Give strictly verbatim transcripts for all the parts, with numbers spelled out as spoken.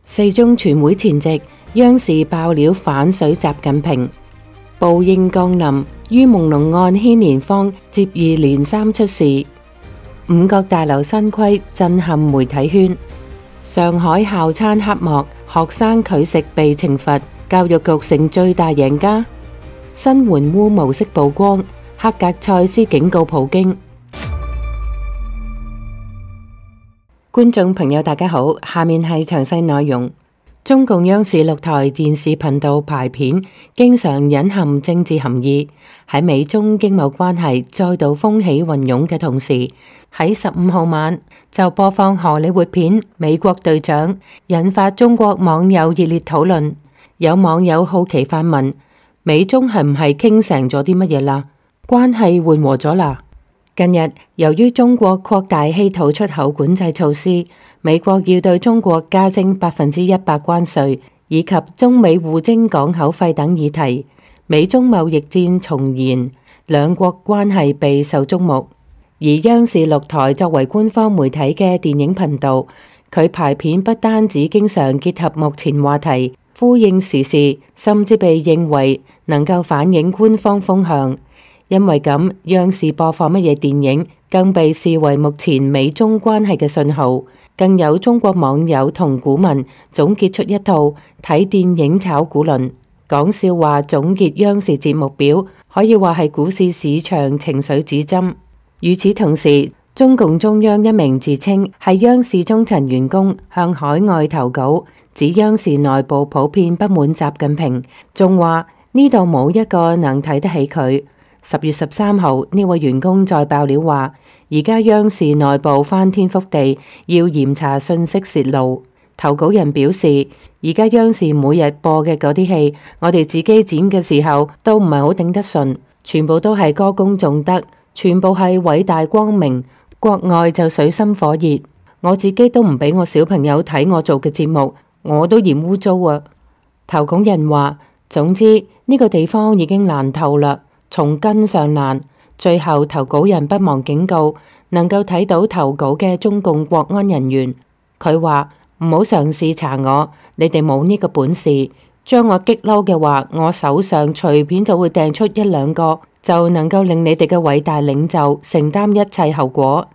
四中全會前夕，央視爆料反水習近平，報應降臨，於朦朧案牽連方接二連三出事。五角大樓新規震撼媒體圈，上海校餐黑幕，學生拒食被懲罰，教育局成最大贏家。新援烏模式曝光，黑格塞斯警告普京。觀眾朋友大家好，下面係詳細內容。中共央視六台電視頻道排片經常隱含政治含義，喺美中經貿關係再度風起雲湧嘅同時，喺十五號晚就播放荷里活片《美國隊長》，引發中國網友熱烈討論。有網友好奇發問：美中係唔係傾成咗啲乜嘢啦？關係緩和咗啦？近日，由於中國擴大稀土出口管制措施，美國要對中國加徵百分之一百關稅，以及中美互徵港口費等議題，美中貿易戰重燃，兩國關係備受矚目。而央視六台作為官方媒體嘅電影頻道，佢排片不單止經常結合目前話題，呼應時事，甚至被認為能夠反映官方風向。因為咁，央視播放乜嘢電影，更被視為目前美中關係嘅信號。更有中國網友同股民總結出一套睇電影炒股論，講笑話總結央視節目表，可以話係股市市場情緒指針。與此同時，中共中央一名自稱係央視中層員工向海外投稿，指央視內部普遍不滿習近平，仲話呢度冇一個能睇得起佢。十月十三號，呢位員工再爆料話，而家央視內部翻天覆地，要嚴查信息洩露。投稿人表示，而家央視每日播嘅嗰啲戲，我哋自己剪嘅時候都唔係好頂得順，全部都係歌功頌德，全部係偉大光明，國外就水深火熱。我自己都唔俾我小朋友睇我做嘅節目，我都嫌污糟啊。投稿人話，總之呢個地方已經爛透啦，從根上爛。最後投稿人不忘警告，能夠睇到投稿嘅中共國安人員，佢話唔好嘗試查我，你哋冇呢個本事。將我激嬲嘅話，我手上隨便就會掟出一兩個，就能夠令你哋嘅偉大領袖承擔一切後果。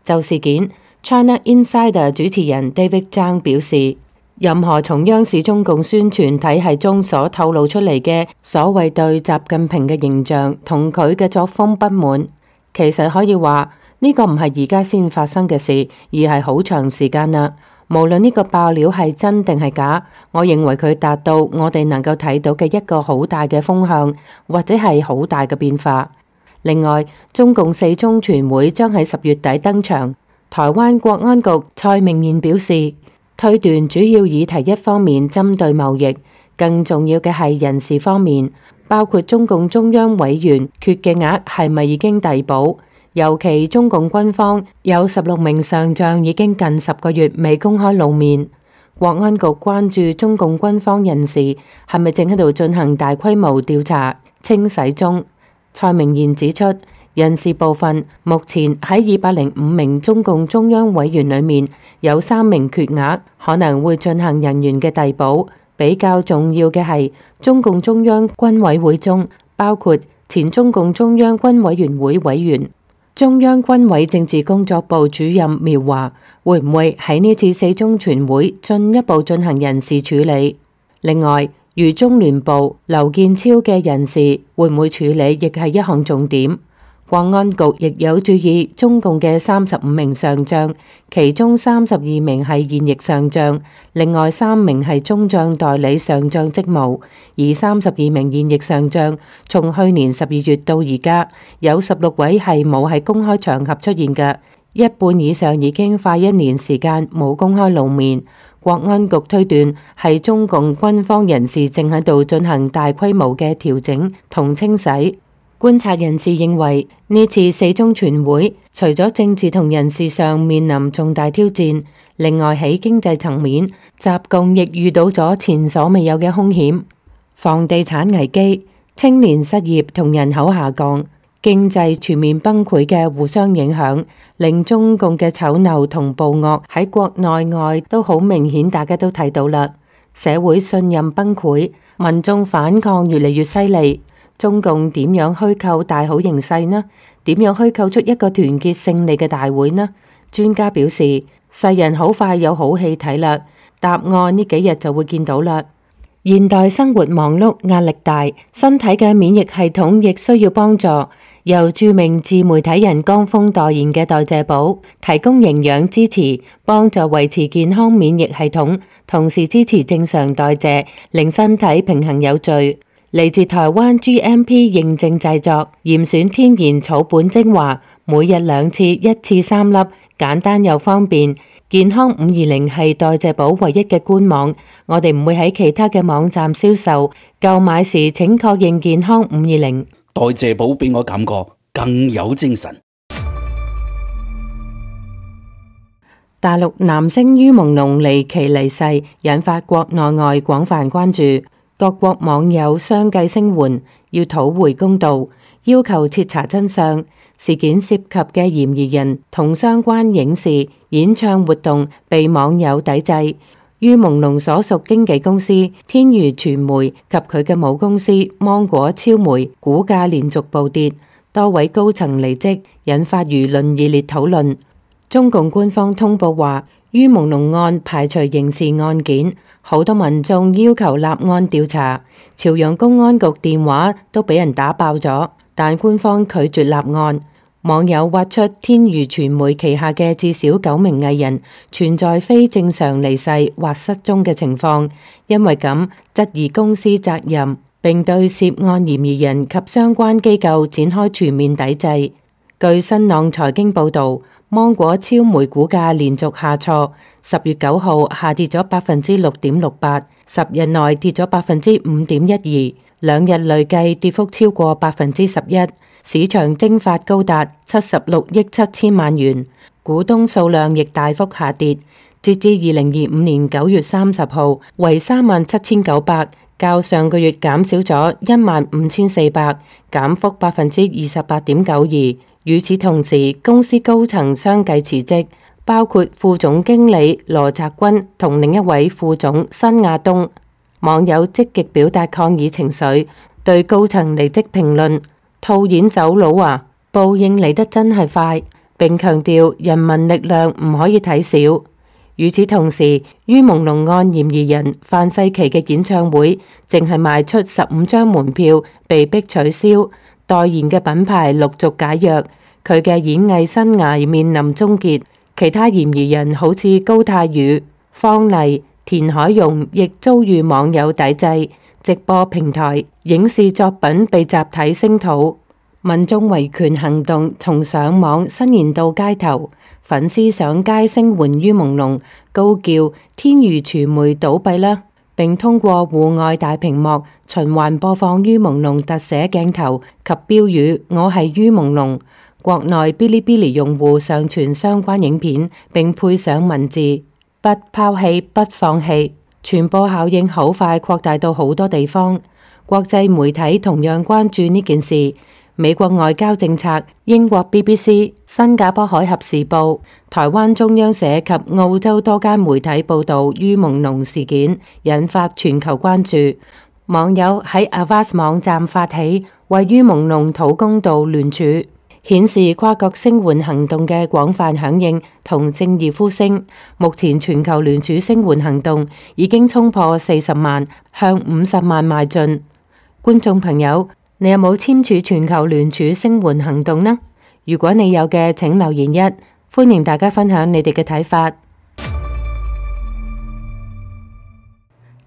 就事件，China Insider 主持人 David Zhang 表示，任何從央視中共宣傳體系中所透露出嚟嘅所謂對習近平嘅形象同佢嘅作風不滿，其實可以話呢個唔係而家先發生嘅事，而係好長時間啦。無論呢個爆料係真定係假，我認為佢達到我哋能夠睇到嘅一個好大嘅風向，或者係好大嘅變化。另外，中共四中全會將喺十月底登場，台灣國安局蔡明彥表示，推斷主要議題一方面針對貿易，更重要嘅係人事方面，包括中共中央委員缺嘅額係咪已經遞補，尤其中共軍方有十六名上將已經近十個月未公開露面。國安局關注中共軍方人士係咪正喺度進行大規模調查清洗中。蔡明彥指出，人事部分目前喺二百零五名中共中央委員裏面有三名缺額，可能會進行人員嘅遞補。比較重要嘅係中共中央軍委會中，包括前中共中央軍委員會委員、中央軍委政治工作部主任苗華，會唔會喺呢次四中全會進一步進行人事處理？另外，如中聯部劉建超嘅人事會唔會處理，亦係一項重點。國安局亦有注意中共嘅三十五名上將，其中三十二名係現役上將，另外三名係中將代理上將職務，而三十二名現役上將從去年十二月到而家，有十六位係冇喺公開場合出現嘅，一半以上已經快一年時間冇公開露面。國安局推斷係中共軍方人士正喺度進行大規模嘅調整同清洗。觀察人士認為，呢次四中全會除咗政治同人事上面臨重大挑戰，另外喺經濟層面，習共亦遇到咗前所未有嘅兇險，房地產危機、青年失業同人口下降、經濟全面崩潰嘅互相影響，令中共嘅醜陋同暴惡喺國內外都好明顯，大家都睇到啦。社會信任崩潰，民眾反抗越嚟越犀利。中共點樣虛構大好形勢呢？點樣虛構出一個團結勝利嘅大會呢？專家表示，世人好快有好戲睇啦，答案呢幾日就會見到啦。現代生活忙碌，壓力大，身體嘅免疫系統亦需要幫助。由著名自媒體人江峰代言嘅代謝寶，提供營養支持，幫助維持健康免疫系統，同時支持正常代謝，令身體平衡有序。嚟自台灣 G M P 認證製作，嚴選天然草本精華，每日兩次，一次三粒，簡單又方便。健康五二零係代謝寶唯一嘅官網，我哋唔會喺其他嘅網站銷售。購買時請確認健康五二零。代謝寶俾我感覺更有精神。大陸男星于朦朧離奇離世，引發國內外廣泛關注，各國網友相繼聲援，要討回公道，要求徹查真相。事件涉及嘅嫌疑人同相關影視、演唱活動被網友抵制。于朦朧所屬經紀公司天娛傳媒及佢嘅母公司芒果超媒股價連續暴跌，多位高層離職，引發輿論熱烈討論。中共官方通報話，于朦朧案排除刑事案件，好多民眾要求立案調查，朝陽公安局電話都俾人打爆咗，但官方拒絕立案。網友挖出天娛傳媒旗下嘅至少九名藝人存在非正常離世或失蹤嘅情況，因為咁質疑公司責任，並對涉案嫌疑人及相關機構展開全面抵制。據新浪財經報導，芒果超媒股價連續下挫，十月九號下跌咗百分之六點六八，十日內跌咗百分之五點一二，兩日累計跌幅超過百分之十一。市場蒸發高達七十六億七千萬元，股東數量亦大幅下跌，截至二零二五年九月三十號為三萬七千九百，較上個月減少咗一萬五千四百，減幅百分之二十八點九二。與此同時，公司高層相繼辭職，包括副總經理羅澤軍同另一位副總辛亞東。網友積極表達抗議情緒，對高層離職評論：套現走佬啊！報應嚟得真係快，並強調人民力量唔可以睇小。與此同時，于朦朧案嫌疑人范世琦嘅演唱會淨係賣出十五張門票，被迫取消，代言嘅品牌陸續解約，佢嘅演藝生涯面臨終結。其他嫌疑人好似高泰宇、方麗、田海容亦遭遇網友抵制。直播平台、影視作品被集體聲討，民眾維權行動從上網伸延到街頭，粉絲上街聲援于朦朧，高叫天娛傳媒倒閉啦，並通過戶外大屏幕循環播放于朦朧特寫鏡頭及標語：我係于朦朧。國內嗶哩嗶哩用戶上傳相關影片，並配上文字：不拋棄，不放棄。傳播效應好快擴大到好多地方，國際媒體同樣關注呢件事。美國外交政策、英國 B B C、新加坡海峽時報、台灣中央社及澳洲多間媒體報道于朦朧事件，引發全球關注。網友喺 Avast 網站發起為于朦朧討公道聯署，顯示跨國聲援行動嘅廣泛響應同正義呼聲。目前全球聯署聲援行動已經衝破四十萬，向五十萬邁進。觀眾朋友，你有冇簽署全球聯署聲援行動呢？如果你有嘅，請留言一，歡迎大家分享你哋嘅睇法。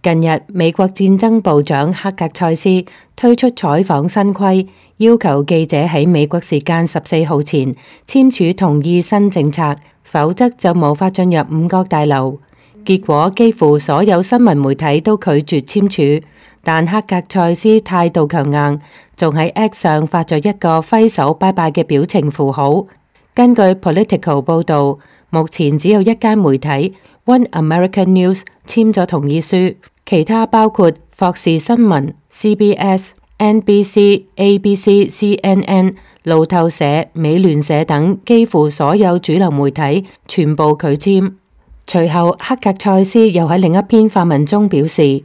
近日，美國戰爭部長克格塞斯推出採訪新規，要求記者喺美國時間十四號前簽署同意新政策，否則就無法進入五角大樓。結果幾乎所有新聞媒體都拒絕簽署，但克格塞斯態度強硬，仲喺 X 上發咗一個揮手拜拜嘅表情符號。根據 Political 報導，目前只有一間媒體 One American News 簽咗同意書。其他包括霍士新聞、C B S、N B C、A B C、C N N、路透社、美聯社等幾乎所有主流媒體全部拒簽。隨後，克格塞斯又喺另一篇發文中表示，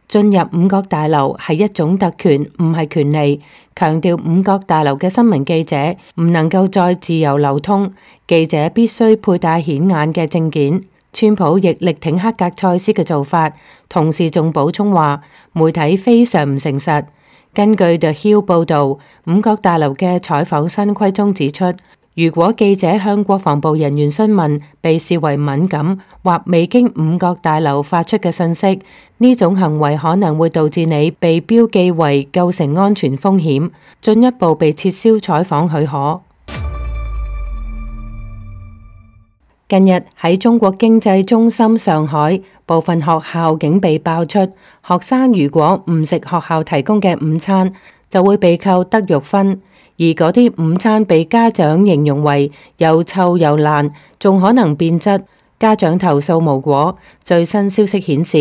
進入五角大樓係一種特權，唔係權利，強調五角大樓嘅新聞記者唔能夠再自由流通，記者必須佩戴顯眼嘅證件。川普亦力挺克格塞斯嘅做法，同時仲補充話，媒體非常唔誠實。根據 The Hill 報導，五角大樓嘅採訪新規中指出，如果記者向國防部人員詢問被視為敏感或未經五角大樓發出嘅信息，呢種行為可能會導致你被標記為構成安全風險，進一步被撤銷採訪許可。近日喺中國經濟中心上海，部分學校竟被爆出，學生如果唔食學校提供嘅午餐，就會被扣德育分，而嗰啲午餐被家長形容為又臭又爛，仲可能變質。家長投訴無果。最新消息顯示，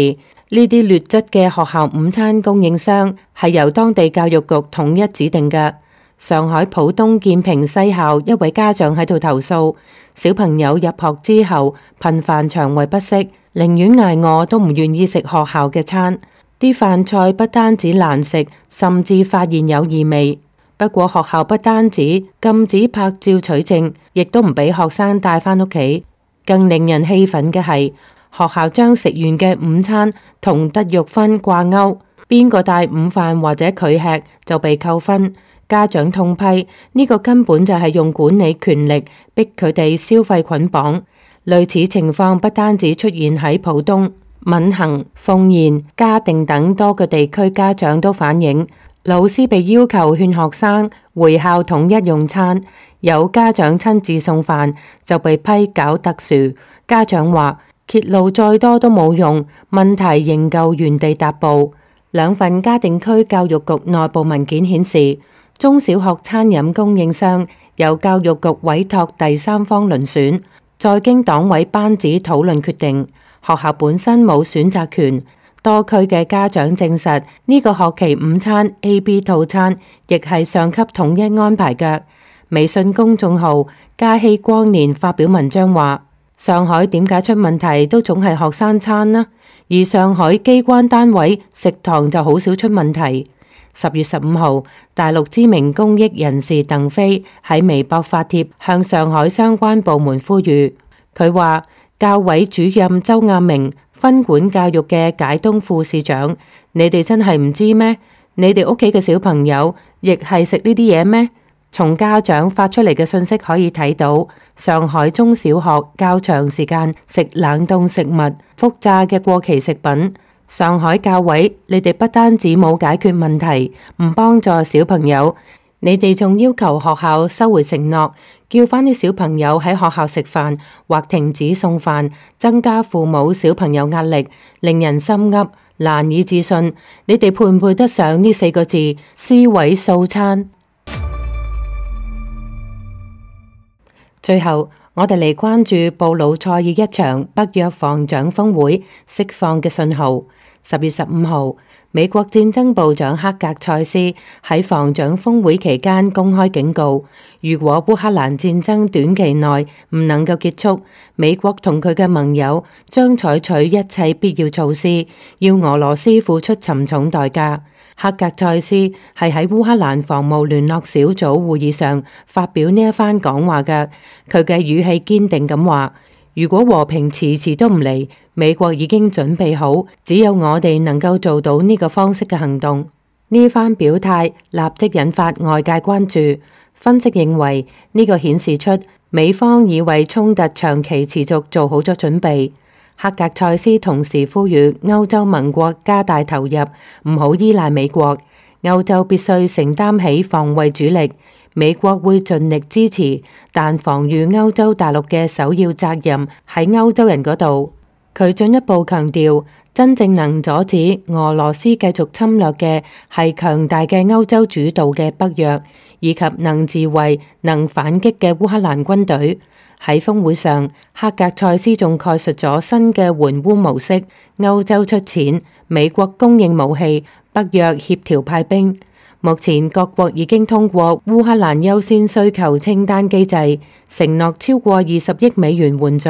呢啲劣質嘅學校午餐供應商係由當地教育局統一指定嘅。上海浦東建平西校一位家長喺度投訴，小朋友入學之後頻繁腸胃不適，寧願挨餓都唔願意食學校嘅餐。啲飯菜不單止難食，甚至發現有異味。不過學校不單止禁止拍照取證，亦都唔俾學生帶返屋企。更令人氣憤嘅係，學校將食完嘅午餐同德育分掛鈎，邊個帶午飯或者拒吃就被扣分。家長痛批呢個根本就係用管理權力逼佢哋消費捆綁。類似情況不單止出現喺浦東、閔行、奉賢、嘉定等多個地區，家長都反映，老師被要求勸學生回校統一用餐，有家長親自送飯就被批搞特殊。家長話揭露再多都冇用，問題仍舊原地踏步。兩份嘉定區教育局內部文件顯示，中小學餐飲供應商由教育局委託第三方遴選，再經黨委班子討論決定，學校本身冇選擇權。多區嘅家長證實，呢個學期午餐 A、B 套餐亦係上級統一安排嘅。微信公眾號嘉熙光年發表文章話，上海點解出問題都總係學生餐呢？而上海機關單位食堂就好少出問題。十月十五號，大陸知名公益人士鄧飛喺微博發帖向上海相關部門呼籲。佢話，教委主任周亞明、分管教育嘅解東副市長，你哋真係唔知咩？你哋屋企嘅小朋友亦係食呢啲嘢咩？從家長發出嚟嘅信息可以睇到，上海中小學較長時間食冷凍食物、複炸嘅過期食品。上海教委，你哋不單止冇解決問題，唔幫助小朋友，你哋仲要求學校收回承諾，叫返啲小朋友喺學校食飯或停止送飯，增加父母小朋友壓力，令人心噏，難以置信。你哋配唔配得上呢四個字？尸位素餐。最後，我哋嚟關注布魯塞爾一場北約防長峰會釋放嘅信號。十月十五號，美國戰爭部長克格塞斯喺防長峰會期間公開警告，如果烏克蘭戰爭短期內唔能夠結束，美國同佢嘅盟友將採取一切必要措施，要俄羅斯付出沉重代價。克格塞斯係喺烏克蘭防務聯絡小組會議上發表呢一番講話嘅，佢嘅語氣堅定咁話，如果和平遲遲都唔嚟，美國已經準備好，只有我哋能夠做到呢個方式嘅行動。呢番表態立即引發外界關注，分析認為呢個顯示出美方已為衝突長期持續做好咗準備。克格塞斯同時呼籲歐洲盟國加大投入，唔好依賴美國，歐洲必須承擔起防衛主力，美國會盡力支持，但防禦歐洲大陸嘅首要責任喺歐洲人嗰度。佢進一步強調，真正能阻止俄羅斯繼續侵略嘅係強大嘅歐洲主導嘅北約，以及能自衛、能反擊嘅烏克蘭軍隊。喺峰會上，克格塞斯仲概述咗新嘅援烏模式：歐洲出錢，美國供應武器，北約協調派兵。目前各國已經通過烏克蘭優先需求清單機制，承諾超過二十億美元援助。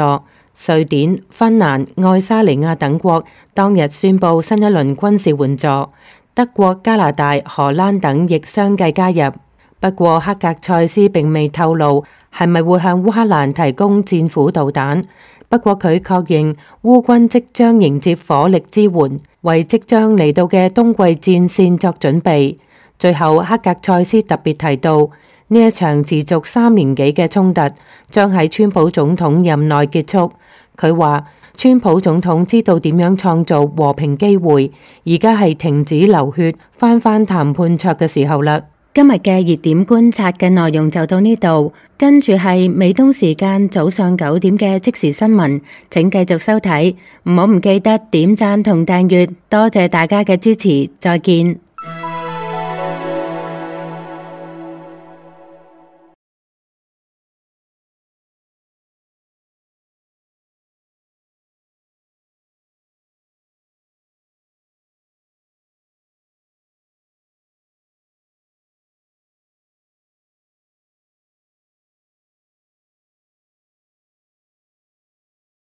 瑞典、芬蘭、愛沙尼亞等國當日宣布新一輪軍事援助，德國、加拿大、荷蘭等亦相繼加入。不過克格塞斯並未透露係咪會向烏克蘭提供戰斧導彈。不過佢確認烏軍即將迎接火力支援，為即將嚟到嘅冬季戰線作準備。最後，克格塞斯特別提到，呢一場持續三年幾嘅衝突將喺川普總統任內結束。佢話，川普總統知道點樣創造和平機會，而家係停止流血、翻返談判桌嘅時候啦。今日嘅熱點觀察嘅內容就到呢度，跟住係美東時間早上九點嘅即時新聞，請繼續收睇，唔好唔記得點讚同訂閱，多謝大家嘅支持，再見。